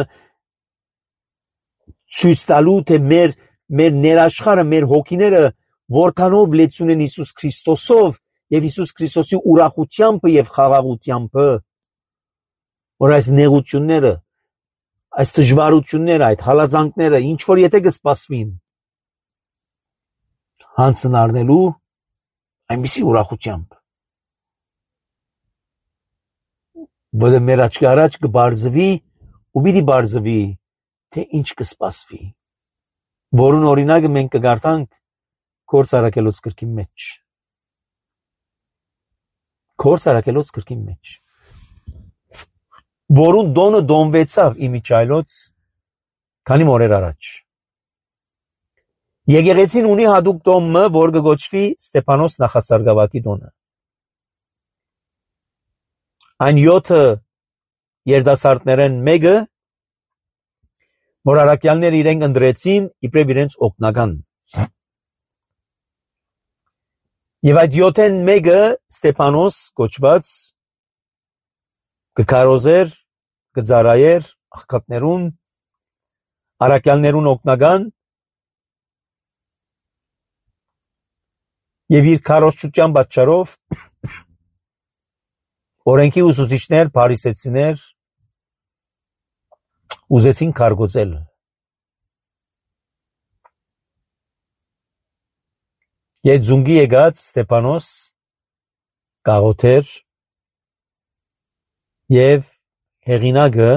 ցույց տալու թե մեր ներաշխարը, մեր հոգիները որքանով լեցուն են Հիսուս Քրիստոսով եւ Հիսուս Քրիստոսի ուրախությամբ եւ խաղաղությամբ, որ այս նեղությունները, այս դժվարությունները, այդ հալածանքները ինչ որ եթե կսպասվին հանցն առնելու այնպիսի ուրախությամբ, որ մեր աչքի առաջ կբարձվի ու պիտի բարձվի թե ինչ կսպասվի, որուն օրինակը մենք կգարտանք Գործ Առաքելոց գրքի մեջ, որուն դոնը դոնվեցավ իմիջայլոց քանի օրեր առաջ։ Եկեղեցին ունի հատուկ դոմը, որ կգոչվի Ստեփանոս նախասարգավակի դոնը։ Այն 7 երդասարտներեն մեկը, որ առաքյալները իրենք ընտրեցին իբրև իրենց օգնական։ Եվ այդ 7-ն մեկը Ստեփանոս կոչված կքարոզեր, կծարայեր աղքատներուն, առաքյալներուն օգնական եւ իր քարոզչության պատճառով օրենքի ուսուցիչներ, փարիսեցիներ ուզեցին քարգոծել։ Եվ ձունգի եկած Ստեփանոս կաղոթեր եւ հեղինակը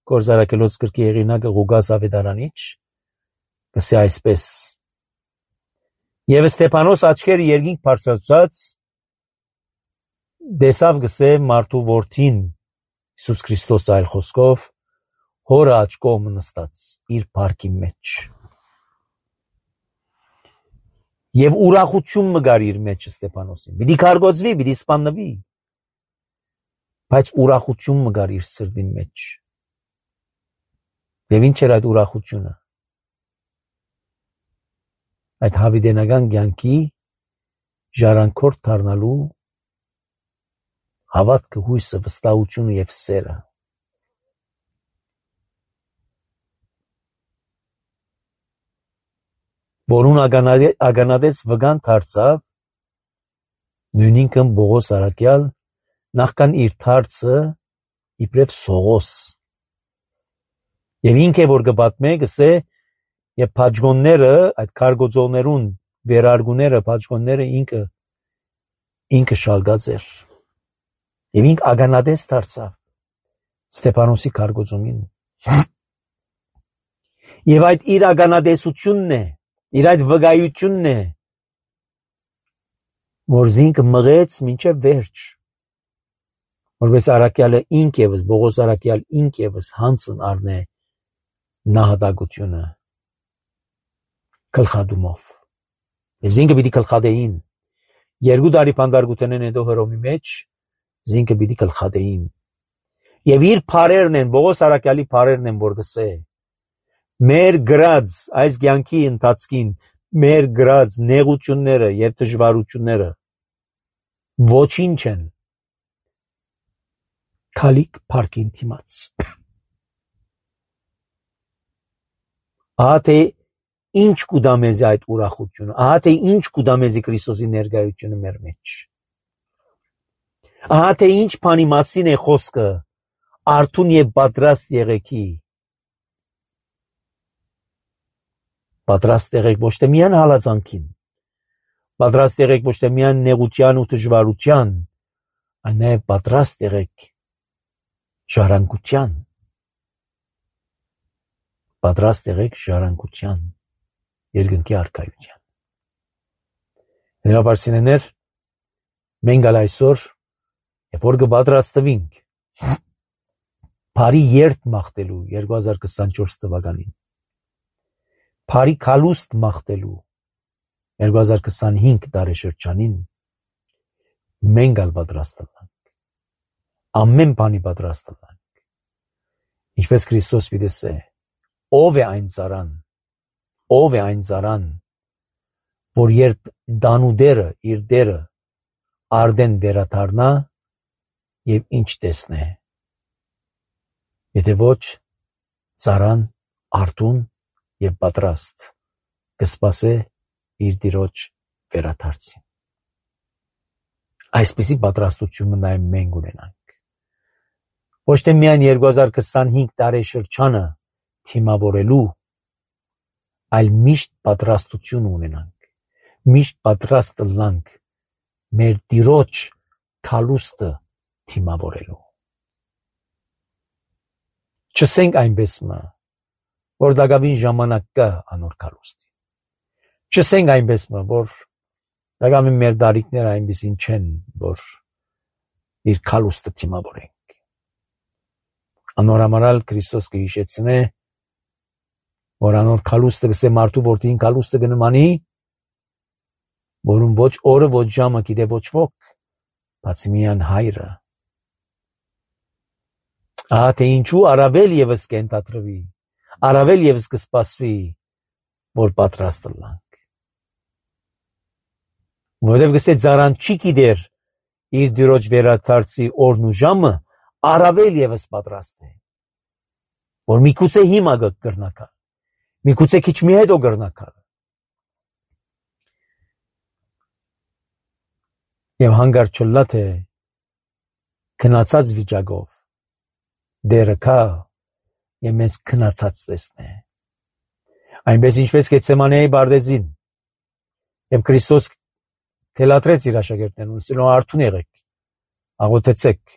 Գործ Առաքելոց գրքի հեղինակը Ղուկաս Ավետարանիչ գսե այսպես. Եվ Ստեփանոս աչքերը երկինք բարձրացած դեսավ գսե մարդու որդին Հիսուս Քրիստոս այլ խոսքով հորը աջ կողմը նստած իր փառքի մեջ եւ ուրախություն մգար իր մեջ Ստեփանոսին, պիտի քարգոծվի, պիտի սպանվի, բայց ուրախություն մգար իր սրտին մեջ եւ ինչ էր այդ ուրախությունը, այդ հավիտենական կյանքի ժառանգորդ դառնալու հավատքը, հույսը, վստահությունը եւ սերը, որուն ագանադես վգան դարձավ նույնինքն Բողոս Արաքյալ նախքան իր դարձը իբրև Սողոս եւ ինքը որ կպատմե գսե եւ փաջգոնները այդ քարգոծողներուն վերարգուները փաջգոնները ինքը շալգած էր եւ ինք ագանադես դարձավ Ստեփանոսի քարգոծումին եւ այդ իր ագանադեսությունն է, իր այդ վկայությունն է, որ զինքը մղեց մինչև վերջ, որպես Արաքյալը ինք եւս, Բողոս Արաքյալ ինք եւս հանցն առնե նահատակությունը գլխադումով եւ զինքը պիտի գլխադեին 2 տարի բանդարգութենեն հետո Հռոմի մեջ զինքը պիտի գլխադեին եւ իր փարերն են, Բողոս Արաքյալի փարերն են, որ գսե մեր գրած այս կյանքի ընթացքին մեր գրած նեղությունները եւ դժվարությունները ոչինչ են քալիք փառքին դիմաց ահա թե ինչ կուտա մեզի այդ ուրախությունը, ահա թե ինչ կուտա մեզի Քրիստոսի ներկայությունը մեր մեջ, ահա թե ինչ բանի մասին է խոսքը արթուն եւ պատրաստ եղեքի, պատրաստ եղեք ոչ թե միայն հալածանքին, պատրաստ եղեք ոչ թե միայն նեղության ու դժվարության, այլ նաև պատրաստ եղեք ժառանգության, պատրաստ եղեք ժառանգության, երկնքի արքայության։ Դրաբար սիրեներ, մենք ալ այսօր, երբ որ կպատրաստվենք Փարի երթ մաղթելու 2024 թվականին, Փարի քալուստ մաղթելու 2025 տարեշրջանին, մենք ալ պատրաստվենք, ամեն բանի պատրաստվենք, ինչպես Քրիստոս պիտեսե, ով է այն ծարան, որ երբ դանուդերը իր դերը արդեն վերաթարնա և ինչ տեսնե, եթե ոչ ծարան արդուն և պատրաստ կսպասե իր տիրոջ վերաթարցին։ Այսպիսի պատրաստությունը նաև մենք ունենանք։ Ոչ թե միայն 2025 տարեշրջանը թիմավորելու, այլ միշտ պատրաստություն ունենանք, միշտ պատրաստ լանք մեր տիրոջ քալուստը թիմավորելու։ Չսենք այնպես մը, որ դակավին ժամանակ կա անոր քալուստի։ Չսենք այնպես մը, որ դակավին մեր դարիքները այնպիսին չեն, որ իր քալուստը թիմավորենք։ Անոր համարալ Քրիստոս կհիշեցնե, որ անոր քալուստը կսե մարդու որդին քալուստը կնմանի, որում ոչ օրը, ոչ ժամը գիտե ոչ ոք, բացի միայն հայրը։ Ահա թե ինչու առավել ևս կենթադրվի, առավել ևս կսպասվի, որ պատրաստ լանք։ Որովհետև գսե ծարան չի գիտեր իր դիրոջ վերադարձի օրն ու ժամը, առավել ևս պատրաստ է, որ միգուցե հիմա կգրնակալ, միգուցե քիչ մի հետո կգրնակալ։ Եվ հանգարտ չլա թե քնացած վիճակով դերը կա եւ մեզ քնացած տեսնե։ Այնպես ինչպես Գեթսեմանեի բարձին, եւ Քրիստոս թելադրեց իր աշակերտներուն, ասելով արթուն եղեք, աղոթեցեք։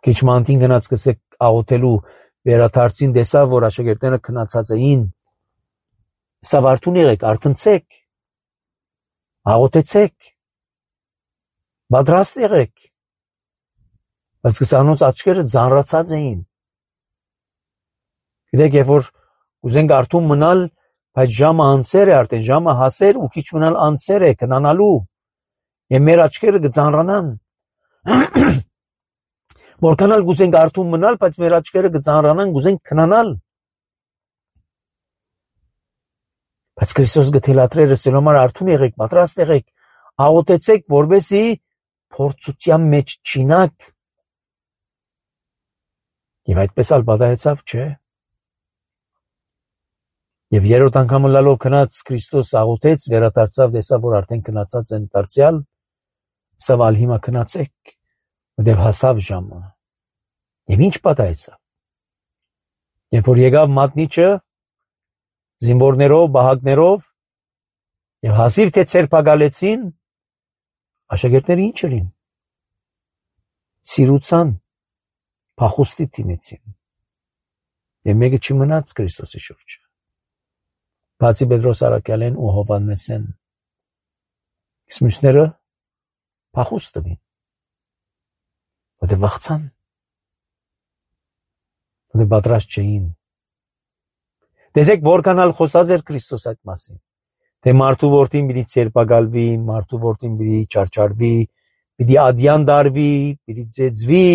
Քիչ մանտին գնաց կսեք աղոթելու վերադարձին տեսավ, որ աշակերտները քնացած էին։ Սա արթուն եղեք, արթնցեք, աղոթեցեք, պատրաստ եղեք։ Բայց կսանոց աչքերը ձանրացած էին։ Գիտեք, երբ որ ուզենք արթուն մնալ, բայց ժամը անցեր է արդեն, ժամը հասեր ու քիչ մնալ անցեր է քնանալու, եւ մեր աչքերը կձանրանան։ Որքանալ գուզենք արթուն մնալ, բայց մեր աչքերը կձանրանան, գուզենք քնանալ։ Բայց Քրիստոս գթելատրեր ասելով արթուն եղեք, պատրաստ եղեք, աղոթեցեք, որպեսզի փորձության մեջ չինակ։ Եվ այդպես ալ պատահեցավ, չէ՞։ Եվ երրորդ անգամը լալով քնած Քրիստոս աղոթեց, վերադարձավ, տեսավ, որ արդեն քնացած են դարձյալ, ասավ ալ հիմա քնացեք, որտեվ հասավ ժամը։ Եվ ինչ պատահեցավ։ Երբ որ եկավ մատնիչը, զինվորներով, բահակներով, եւ հազիվ թե ցերպակալեցին, աշակերտները ինչ էին։ Ցիրուցան, փախուստի դիմեցին։ Եվ մեկը չմնաց Քրիստոսի շուրջը։ Բացի Պետրոս Արաքյալեն ու Հովհաննեսեն, իսկ մյուսները փախուստ տվին, որտեղ վախցան, որտեղ պատրաստ չէին։ Տեսեք, որքանալ խոսած էր Քրիստոս այդ մասին, թե մարդու որդին պիտի ցերպակալվի, մարդու որդին պիտի չարչարվի, պիտի ադյան դարվի, պիտի ծեծվի,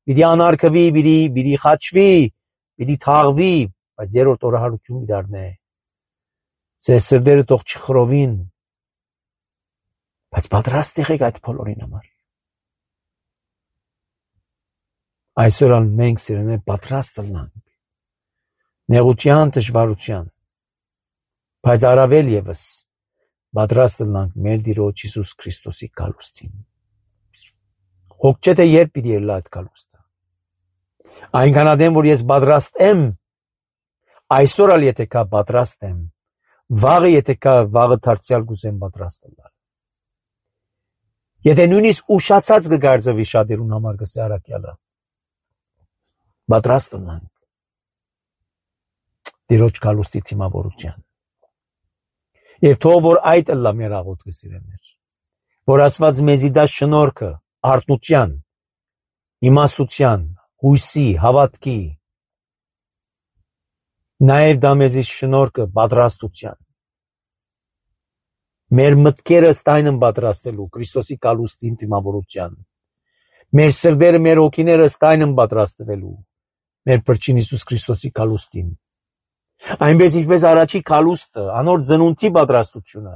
պիտի անարգվի, պիտի խաչվի, պիտի թաղվի, բայց երրորդ օրը հարություն պիտի դառնա։ Ձեր սրտերը թող չխռովին, բայց պատրաստ եղեք այդ բոլորին համար։ Այսօր ալ մենք սիրելիներ պատրաստ լինենք նեղության, դժվարության, բայց առավել ևս պատրաստ լինենք մեր Տիրոջ Հիսուս Քրիստոսի գալուստին։ Հոգ չէ թե երբ պիտի ելնա այդ գալուստը։ Այնքան ադեմ, որ ես պատրաստ եմ, այսօր ալ եթե կա պատրաստ եմ, վաղը եթե կա, վաղը դարձյալ կուզեմ պատրաստ լինել։ Եթե նույնիսկ ուշացած կգարձվի շատերուն համար գսե Արաքյալը, պատրաստ լինենք Տիրոջ գալուստի թիմավորության։ Եվ թող որ այդ ըլլա մեր աղոթքը սիրելիներ, որ Աստված մեզի դա շնորհքը, արթնության, իմաստության, հույսի, հավատքի, նաև դա մեզի շնորհքը պատրաստության, մեր մտքերը ստայնն պատրաստելու Քրիստոսի կալուստին դիմավորության, մեր սրտերը, մեր հոգիները ստայնն պատրաստվելու մեր Փրկին Հիսուս Քրիստոսի կալուստին, այնպես ինչպես առաջի կալուստը, անոր ծնունդի պատրաստությունը,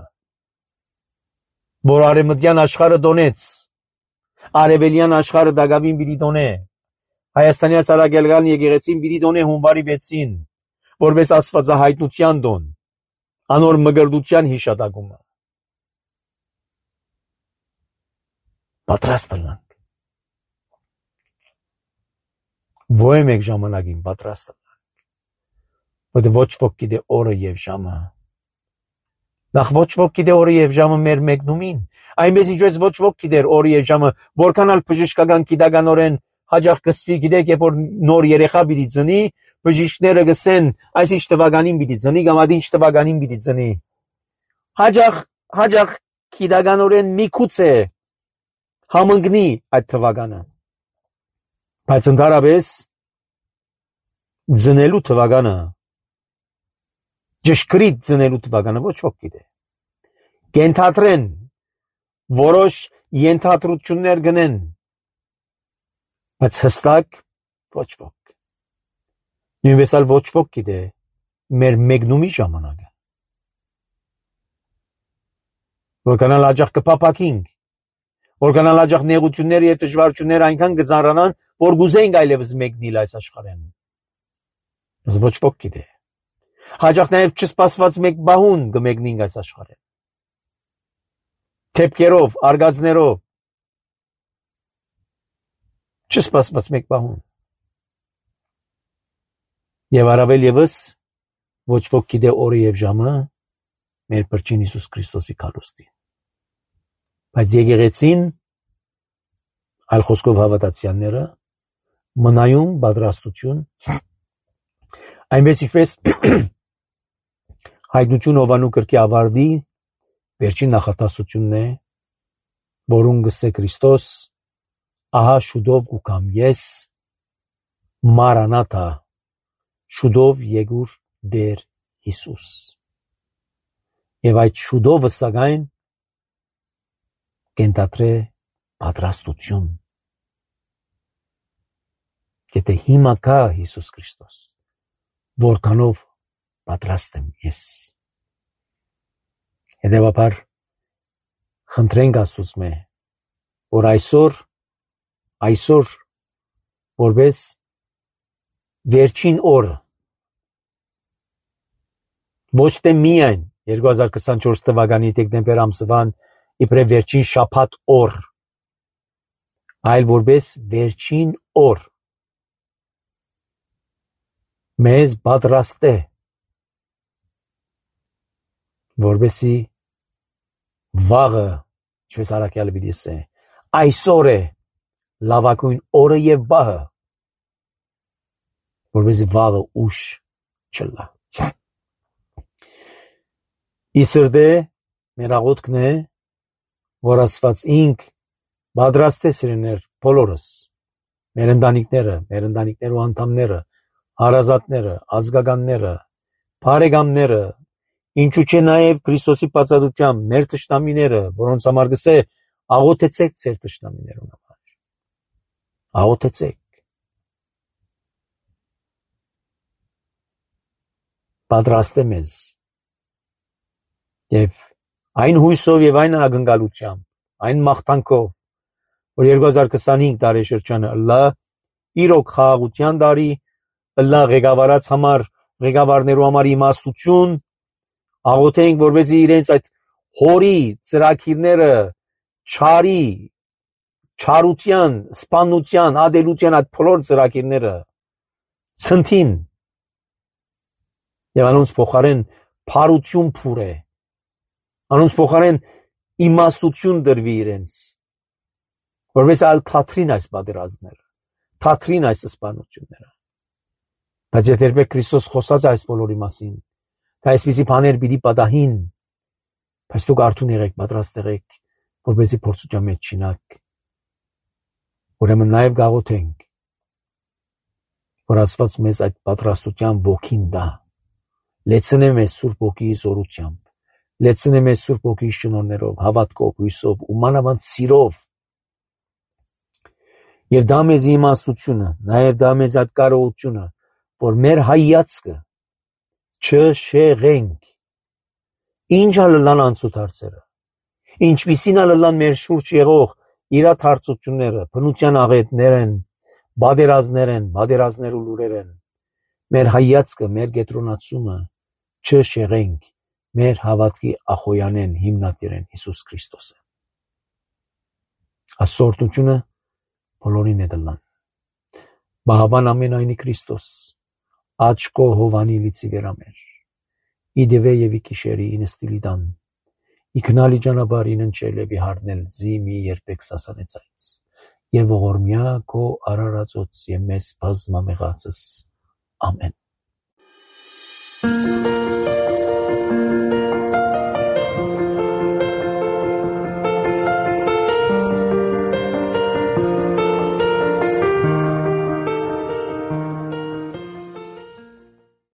որ արևմտյան աշխարհը դոնեց, արևելյան աշխարհը դակավին պիտի դոնե, Հայաստանի ցարագելգան եկեղեցին պիտի դոնե հունվարի 6-ին, որպես աստվածահայտնության դոն, անոր մգրդության հիշատակումը։ Պատրաստ ըլանք։ Ո՞յ մեկ ժամանակին պատրաստ ըլանք։ Որտե ոչ ոք գիտե օրը եւ ժամը։ Նախ ոչ ոք գիտե օրը եւ ժամը մեր մեկնումին, այնպես ինչպես ոչ ոք գիտեր օրը եւ ժամը, որքանալ բժշկական գիտականորեն հաջող կսվի, գիտեք, երբ որ նոր երեխա պիտի ծնի, բժիշկները գսեն, այս ինչ տվականին պիտի ծնի, կամ այդ ինչ տվականին պիտի ծնի։ Հաջող գիտականորեն միգուցե համընկնի այդ թվականը։ Բայց ընդհանրապես ծնելու թվականը, ճշգրիտ ծնելու թվականը ոչ ոք գիտե։ Կենթադրեն, որոշ ենթադրություններ գնեն, բայց հստակ ոչ ոք։ Նույնպես էլ ոչ ոք գիտե մեր մեկնումի ժամանակը։ Որքանալ հաջող կփափակինք, որքանալ հաջող նեղությունները եւ դժվարությունները այնքան կծանրանան, որ գուզենք այլևս մեկնել այս աշխարհին։ Բայց ոչ ոք գիտե։ Հաջող նաև չսպասված մեկ բահուն կմեկնենք այս աշխարհին։ Թեփքերով, արգածներով։ Չսպասված մեկ բահուն։ Եվ առավել եւս ոչ ոք գիտե օրը եւ ժամը մեր Փրկին Հիսուս Քրիստոսի կալուստին։ Բայց եկեղեցին, այլ խոսքով հավատացյալները, մնայուն պատրաստություն, այնպես ինչպես հայտնություն Հովանու կրկի ավարտի վերջին նախատասությունն է, որուն գսե Քրիստոս, ահա շուտով կգամ ես, Մարանաթա, շուտով եկուր Տեր Հիսուս։ Եվ այդ շուտովը սակայն կենտադրե պատրաստություն։ Եթե հիմա կա Հիսուս Քրիստոս, որքանով պատրաստ եմ ես։ Հետևաբար խնդրենք Աստծո, որ այսօր որպես վերջին օրը, ոչ թե միայն 2024 թվականի դեկտեմբեր ամսվան իբրև վերջին շաբաթ օր, այլ որպես վերջին օր մեզ պատրաստ է, որպեսզի վաղը, ինչպես առաքյալը պիտի ասե, այսօր է լավագույն օրը եւ բահը, որպեսզի վաղը ուշ չլա։ Իսրդե մեր աղոթքն է, որ Աստված ինք պատրաստ է սիրելիներ բոլորս, մեր ընտանիքներու անդամները, հարազատները, ազգականները, բարեկամները, ինչու՞ չէ նաև Քրիստոսի բացատությամբ մեր թշնամիները, որոնց համար գսե աղոթեցեք ձեր թշնամիներուն համար։ Աղոթեցեք։ Պատրաստ է մեզ։ Եվ այն հույսով եւ այն ակնկալությամբ, այն մաղթանքով, որ 2025 տարեշրջանը ըլլա իրոք խաղաղության տարի, ըլլա ղեկավարներու համար իմաստություն, աղոթենք, որպեսզի իրենց այդ հորի ծրագիրները չարի, չարության, սպանության, ադելության այդ բոլոր ծրագիրները ցնթին եւ անոնց փոխարեն փարություն փուրե, անոնց փոխարեն իմաստություն դրվի իրենց, որպես այլ թատրին այս պատերազմները, թատրին այս սպանությունները։ Բայց եթե երբեք Քրիստոս խոսած այս բոլորի մասին, թե այսպիսի բաներ պիտի պատահին, Բայց դուք արթուն եղեք, պատրաստ եղեք, որպեսզի փորձության մեջ չինաք։ Ուրեմն նաև գաղութենք, որ Աստված մեզ այդ պատրաստության ոգին տա, լեցնե մեզ Սուրբ Ոգիի զորությամբ, լեցնե մեզ Սուրբ Ոգիի շնորհներով, հավատքով, հույսով ու մանավանդ սիրով։ Եվ դա մեզ իմաստությունը, նաև դա մեզ այդ կարողությունը, որ մեր հայացքը չշեղենք։ Ինչ ալլան անցուտ հարցերը, ինչպիսին ալլան մեր շուրջ եղող իրադարձությունները, բնության աղետներ են, բادرազներ ու լուրեր են, մեր հայացքը, մեր կենտրոնացումը չշեղենք մեր հավատքի ախոյանեն հիմնադիրեն Հիսուս Քրիստոսը։ Ասորտությունը բոլորին է դլան։ Բահավան ամենայնի Քրիստոս, աչկո հովանի լիցի վերամեր, իդվե և իկիշերի ինստիլիդան, իքնալի ճանապար իննչել և իհարնել զիմի երբեք սասանեցայց, և ողորմյա քո արարածոց և մեզ բազմամեղացս, ամեն։